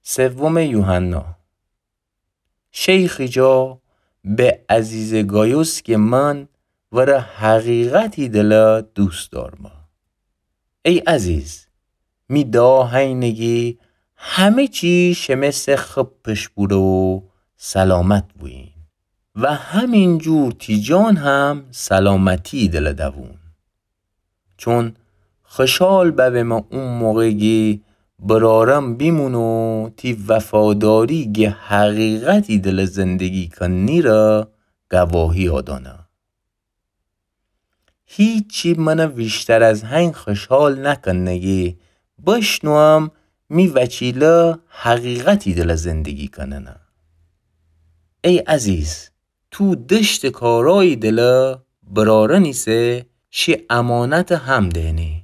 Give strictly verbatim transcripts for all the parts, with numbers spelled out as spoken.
سوم یوحنا. شیخی جا به عزیز گایوس گه من وره حقیقتی دله دوست دارمه. ای عزیز، می دعا هینه گی همه چی شمه سه خب پیش بوره و سلامت بویین و همین جور تی جان هم سلامتی دله دوون. چون خوشحال ببمه او موقع گی برارم بیمون و تی وفاداری گه حقیقتی دله زندگی کنی ره گواهی آدانه. هیچی منه ویشتر از هین خوشحال نکنه گی بشنوم می وچیله حقیقتی دله زندگی کننه. ای عزیز، تو دشت کارایی دله برارن ایسه شی امانت هم دئنی.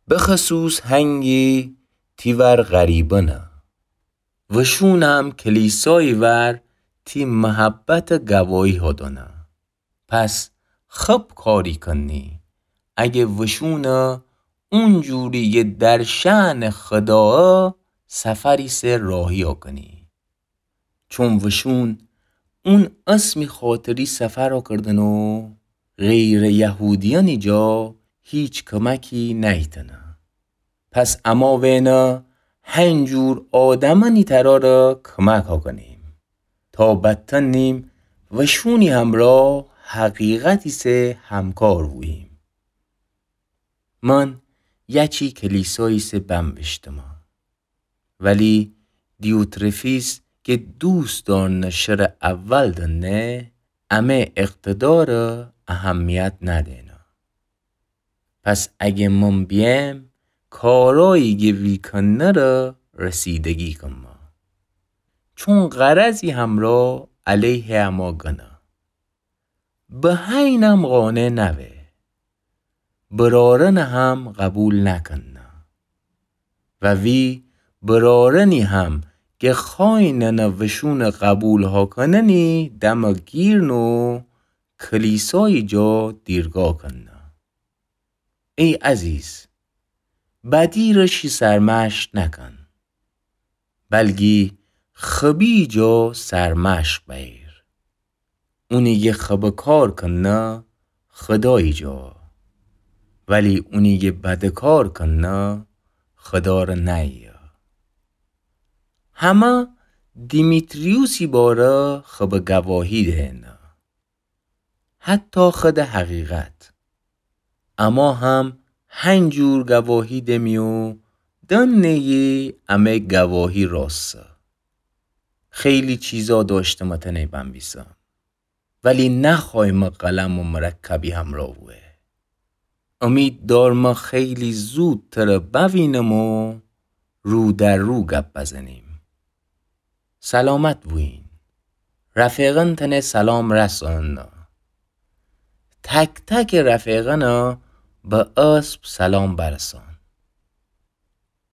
بخصوص هنگی تی ور غریبنه. وشون هم کلیسایی ور تی محبت گواهی هدنه. پس خب کاری کنی اگه وشونه اونجوری گه در شأن خداه سفری سه راهیا کنی. چون وشون اون اسمی خاطری سفر کردن و غیر یهودیانی جا هیچ کمکی نیتنه. پس اما وئنه هنجور آدمانی تراره کمک کنیم تا بتنیم وشونی همرا حقیقتی سه همکار بوییم. من یچی کلیسایی سه بنوشتمه. ولی دیوترفیس که دوست دارنه شر اول دنه، امه اقتدار اهمیت ندینه. پس اگه من بیم، کارایی گه وی کنه ره رسیدگی کنمه. چون غرضی همرا علیه اما گنه. به هینم قانع نوه. برارن هم قبول نکنه. و وی برارنی هم که خوایننه وشون قبول هاکننی دم گیرن و کلیسایی جا دیرگا کنه. ای عزیز، بدی ره شی سرمشق نکن، بلکی خبی جا سرمشق بأیر. اونی گه خب کار کنه خدایی جا، ولی اونی گه بد کار کنه خدا ره نأیه. همه دیمیتریوسی باره خب گواهی دهنه. حتی خود حقیقت. اما هم هنجور گواهی دمی و دنیی امه گواهی راستسه. خیلی چیزا داشتمه تنه بنویسم، ولی نخوایمه قلم و مرکبی همرا بوه. امید دارمه خیلی زود تره بوینم و رو در رو گپ بزنیم. سلامت بوین. رفیقان تنه سلام رسانن. تک تک رفیقان به اسب سلام برسان.